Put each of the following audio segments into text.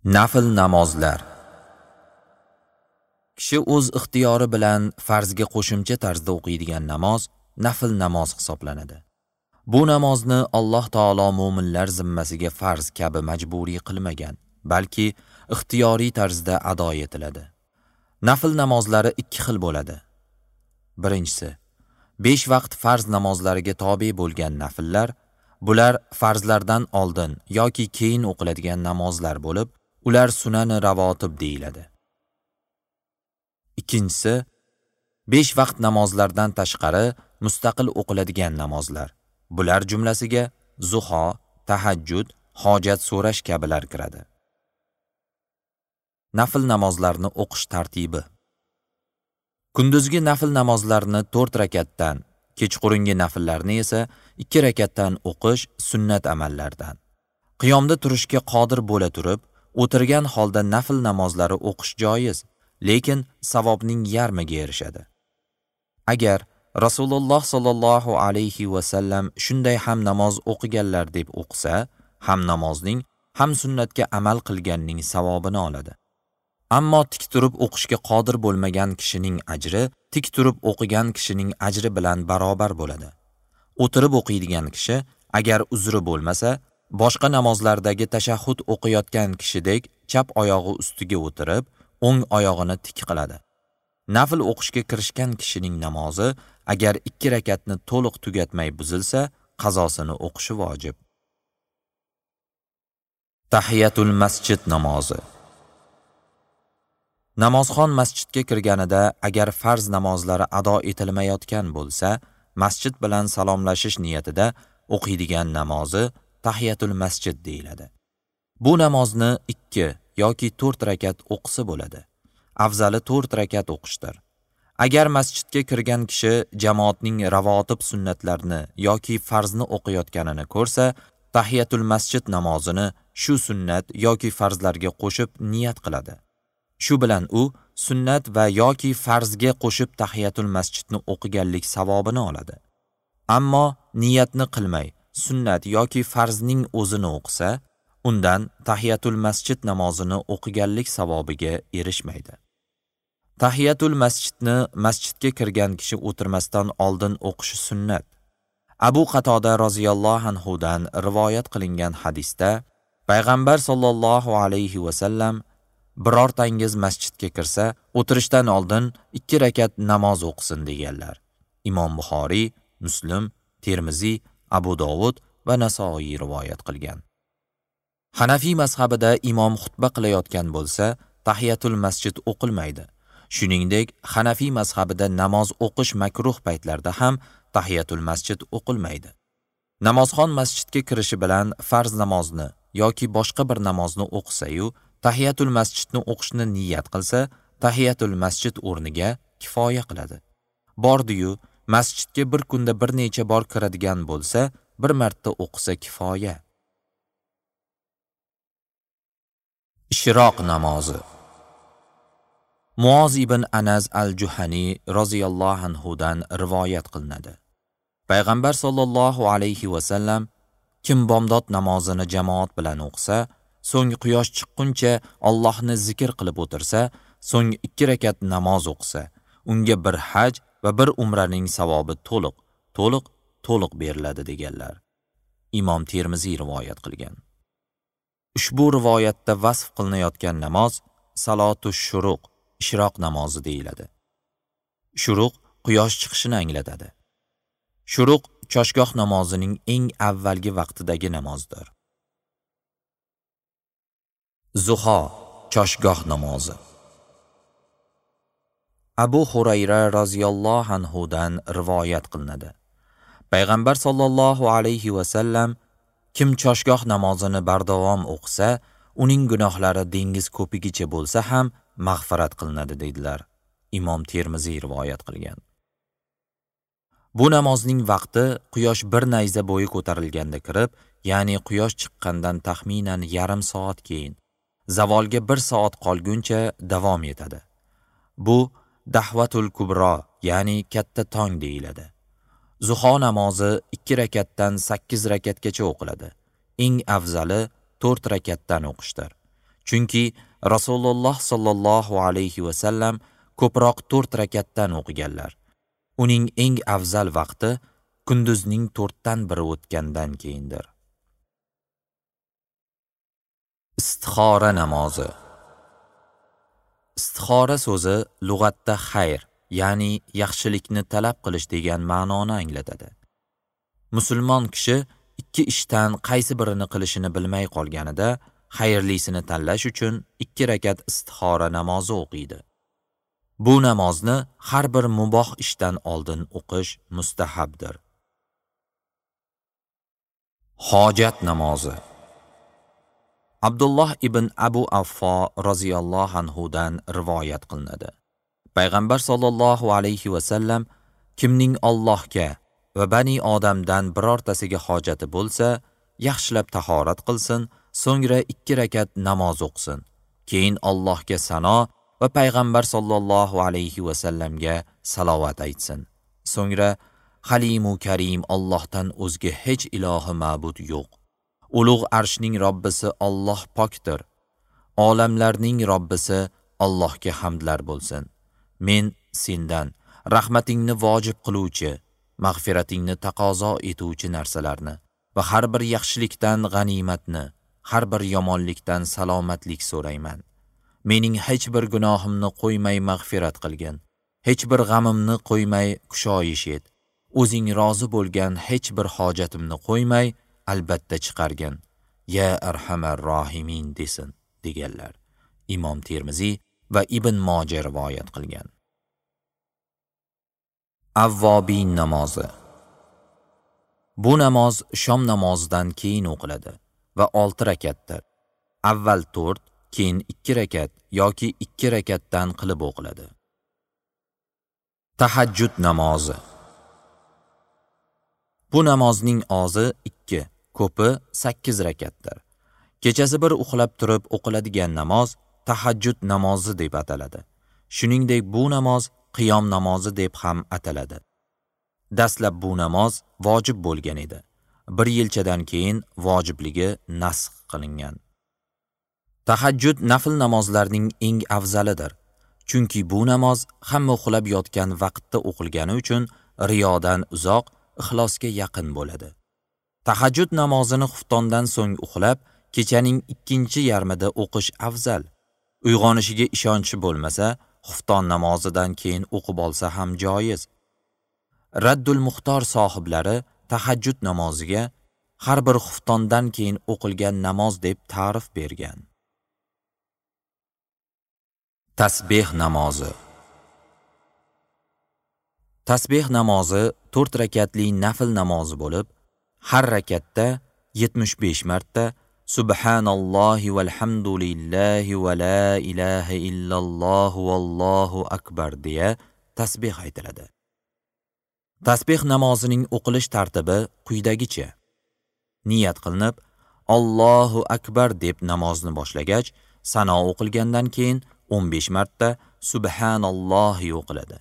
Nafl namozlar. Kishi o'z ixtiyori bilan farzga qo'shimcha tarzda o'qiydigan namoz nafl namoz hisoblanadi. Bu namozni Alloh taolo mo'minlar zimmasiga farz kabi majburiy qilmagan, balki ixtiyoriy tarzda ado etiladi. Nafl namozlari ikki xil bo'ladi. Birinchisi, 5 vaqt farz namozlariga tobe bo'lgan nafllar, bular farzlardan oldin yoki keyin o'qiladigan namozlar bo'lib, ular sunani ravotib deyiladi. Ikkinchisi, 5 vaqt namozlardan tashqari mustaqil o'qiladigan namozlar. Bular jumlasiga zuho, tahajjud, hojat so'rash kabilar kiradi. Nafl namozlarni o'qish tartibi. Kunduzgi nafl namozlarni 4 rakatdan, kechqurungi nafllarni esa 2 rakatdan o'qish sunnat amallardan. Qiyomda turishga qodir bo'la turib, o'tirgan holda nafl namozlari o'qish joiz, lekin savobning yarmiga erishadi. Agar Rasululloh sallallohu alayhi va sallam shunday ham namoz o'qiganlar deb o'qisa, ham namozning, ham sunnatga amal qilganning savobini oladi. Ammo tik turib o'qishga qodir bo'lmagan kishining ajri tik turib o'qigan kishining ajri bilan barobar bo'ladi. O'tirib o'qiydigan kishi agar uzri bo'lmasa, boshqa namozlardagi tashahhud o'qiyotgan kishidek chap oyog'i ustiga o'tirib, o'ng oyog'ini tik qiladi. Nafl o'qishga kirishgan kishining namozi agar 2 rakatni to'liq tugatmay buzilsa, qazosini o'qishi vojib. Tahiyatul masjid namozi. Namozxon masjidga kirganida agar farz namozlari ado etilmayotgan bo'lsa, masjid bilan salomlashish niyatida o'qiydigan namozi tahiyatul masjid deyiladi. Bu namozni 2 yoki 4 rakat o'qisa bo'ladi. Afzali 4 rakat o'qishdir. Agar masjidga kirgan kishi jamoatning ravotib sunnatlarini yoki farzni o'qiyotganini ko'rsa, tahiyatul masjid namozini shu sunnat yoki farzlarga qo'shib niyat qiladi. Shu bilan u sunnat va yoki farzga qo'shib tahiyatul masjidni o'qiganlik savobini oladi. Ammo niyatni qilmay sunnat yoki farzning o'zini o'qisa, undan tahiyatul masjid namozini o'qiganlik savobiga erishmaydi. Tahiyatul masjidni masjidga kirgan kishi o'tirmasdan oldin o'qishi sunnat. Abu Qatoda roziyallohu anhu dan rivoyat qilingan hadisda Payg'ambar sollallohu alayhi va sallam birortangiz masjidga kirsa, o'tirishdan oldin 2 rakat namoz o'qisin deganlar. Imom Buxoriy, Muslim, Termiziy, Abu Dovud va Nasoiy rivoyat qilgan. Hanafiy mazhabida imom xutba qilayotgan bo'lsa, tahiyatul masjid o'qilmaydi. Shuningdek, Hanafiy mazhabida namoz o'qish makruh paytlarda ham tahiyatul masjid o'qilmaydi. Namozxon masjidga kirishi bilan farz namozni yoki boshqa bir namozni o'qisa-yu, tahiyatul masjidni o'qishni niyat qilsa, tahiyatul masjid o'rniga kifoya qiladi. Bordi-yu, masjidga bir kunda bir necha bor kiradigan bo'lsa, bir marta o'qisa kifoya. Ishroq namozi. Muoz ibn Anas al-Juhani roziyallohu anhu dan rivoyat qilinadi. Payg'ambar sollallohu alayhi va sallam kim bomdod namozini jamoat bilan o'qisa, so'ng quyosh chiqquncha Allohni zikr qilib o'tirsa, so'ng 2 rakat namoz o'qisa, unga bir haj va bir umraning savobi to'liq, to'liq, to'liq beriladi deganlar. Imom Termiziy rivoyat qilgan. Ushbu rivoyatda vasf qilinayotgan namoz salatu shuruq, ishroq namozi deyiladi. Shuruq quyosh chiqishini anglatadi. Shuruq choshgoh namozining eng avvalgi vaqtidagi namozdir. Zuho choshgoh namozi. Abu Hurayra roziyallohu anhu dan rivoyat qilinadi. Payg'ambar sollallohu alayhi va sallam kim choshgoh namozini bardavom o'qisa, uning gunohlari dengiz ko'pigicha bo'lsa ham mag'firat qilinadi dedilar. Imom Termiziy rivoyat qilgan. Bu namozning vaqti quyosh bir nayza bo'yi ko'tarilganda kirib, ya'ni quyosh chiqqandan taxminan yarim soat keyin, zavolga 1 soat qolguncha davom etadi. Bu dahvatul kubro, ya'ni katta tong deyiladi. Zuho namozi 2 rakatdan 8 rakatgacha o'qiladi. Eng afzali 4 rakatdan o'qishdir. Chunki Rasululloh sallallohu alayhi va sallam ko'proq 4 rakatdan o'qiganlar. Uning eng afzal vaqti kunduzning 1/4 o'tgandan keyindir. Istixora namozi. Istixora so'zi lug'atda xayr, ya'ni yaxshilikni talab qilish degan ma'noni anglatadi. Musulmon kishi ikki ishdan qaysi birini qilishini bilmay qolganida, xayrlisini tanlash uchun 2 rakat istixora namozi o'qiydi. Bu namozni har bir muboh ishdan oldin o'qish mustahabdir. Hojat namozi. Abdulloh ibn Abu Affo roziyallohu anhu dan rivoyat qilinadi. Payg'ambar sollallohu alayhi va sallam kimning Allohga va bani odamdan birortasiga hojati bo'lsa, yaxshilab tahorat qilsin, so'ngra 2 rakat namoz o'qisin. Keyin Allohga sano va payg'ambar sollallohu alayhi va sallamga salovat aytsin. So'ngra Halimu Karim Allohdan o'zga hech ilohi ma'bud yo'q. Ulug' arshning Robbisi Alloh pokdir. Olamlarning Robbisi Allohga hamdlar bo'lsin. Men sendan rahmatingni vojib qiluvchi, mag'firatingni taqozo etuvchi narsalarni va har bir yaxshilikdan g'animatni, har bir yomonlikdan salomatlik so'rayman. Mening hech bir gunohimni qo'ymay mag'firat qilgin. Hech bir g'amimni qo'ymay kushoyish et. O'zing rozi bo'lgan hech bir hojatimni qo'ymay albatta chiqargin. Ya arhamar rohimin desin, deganlar. Imom Termiziy va Ibn Moja rivoyat qilgan. Avvobin namozi. Bu namoz shom namozidan keyin o'qiladi va 6 rakatdir. Avval 4, keyin 2 rakat yoki 2 rakatdan qilib o'qiladi. Tahajjud namozi. Bu namozning ozi 2, ko'pi 8 rakatdir. Kechasi bir uxlab turib o'qiladigan namoz tahajjud namozi deb ataladi. Shuningdek, bu namoz qiyom namozi deb ham ataladi. Dastlab bu namoz vojib bo'lgan edi. Bir yilchadan keyin vojibligi nasx qilingan. Tahajjud nafl namozlarning eng afzalidir. Chunki bu namoz hamma uxlab yotgan vaqtda o'qilgani uchun riyodan uzoq, ixlosga yaqin bo'ladi. Tahajjud namozini xuftondan so'ng uxlab, kechaning ikkinchi yarmida o'qish afzal. Uyg'onishiga ishonchi bo'lmasa, xufton namozidan keyin o'qib olsa ham joiz. Raddul Muxtor sohiblari tahajjud namoziga har bir xuftondan keyin o'qilgan namoz deb ta'rif bergan. Tasbih namozi. Tasbih namozi 4 rakatli nafl namozi bo'lib, har rakatda 75 marta Subhanallohi valhamdulillahi va la ilaha illalloh vallohu akbar deya tasbih aytiladi. Tasbih namozining o'qilish tartibi quyidagicha. Niyat qilinib, Allohu akbar deb namozni boshlagach, sano o'qilgandan keyin 15 marta Subhanallohi o'qiladi.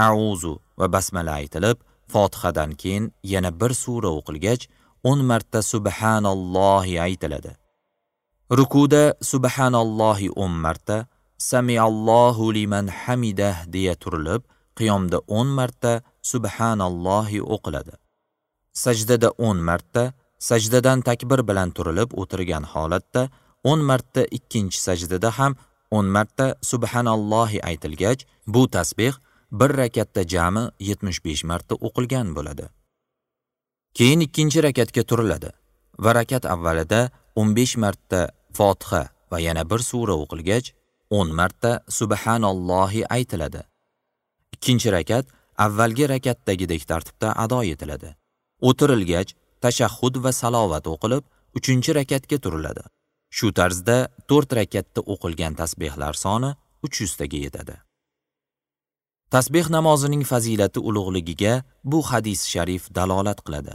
A'uzu va basmala aytilib, Fotihadan keyin yana bir sura o'qilgach, 10 marta Subhanallohi aytiladi. Rukuda Subhanallohi 10 marta, Samiallohu liman hamidah deya turilib, qiyomda 10 marta Subhanallohi o'qiladi. Sajdada 10 marta, sajdadan takbir bilan turilib o'tirgan holatda 10 marta ikkinchi sajdada ham 10 marta Subhanallohi aytilgach, bu tasbih bir rakatda jami 75 marta o'qilgan bo'ladi. Keyin ikkinchi rakatga turiladi va rakat avvalida 15 marta Fotiha va yana bir sura o'qilgach, 10 marta Subhanallohi aytiladi. Ikkinchi rakat avvalgi rakatdagidek tartibda ado etiladi. O'tirilgach, tashahhud va salovat o'qilib, uchinchi rakatga turiladi. Shu tarzda 4 rakatda o'qilgan tasbihlar soni 300 taga yetadi. Tasbih namozining fazilati ulug'ligiga bu hadis sharif dalolat qiladi.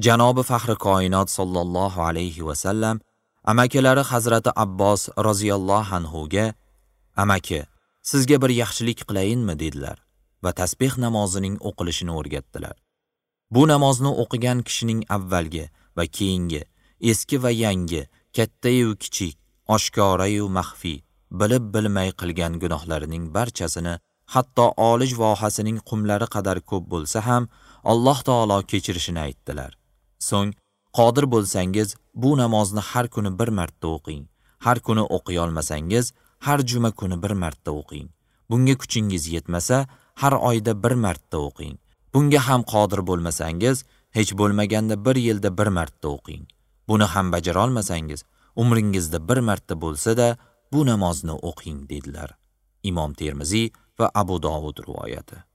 Janobi Faxri koinot sollallohu alayhi va sallam amakilari Hazrati Abbos roziyallohu anhu ga: "Amaki, sizga bir yaxshilik qilayinmi?" dedilar va tasbih namozining o'qilishini o'rgatdilar. Bu namozni o'qigan kishining avvalgi va keyingi, eski va yangi, katta-yu kichik, oshkorayu maxfiy, bilib bilmay qilgan gunohlarining barchasini, hatto Olij vohasining qumlari qadar ko'p bo'lsa ham, Alloh taolo kechirishini aytdilar. So'ng, qodir bo'lsangiz, bu namozni har kuni bir marta o'qing. Har kuni o'qiy olmasangiz, har juma kuni bir marta o'qing. Bunga kuchingiz yetmasa, har oyda bir marta o'qing. Bunga ham qodir bo'lmasangiz, hech bo'lmaganda bir yilda bir marta o'qing. Buni ham bajara olmasangiz, umringizda bir marta bo'lsa-da bu namozni o'qing dedilar. Imom Termiziy va Abu Dovud rivoyati.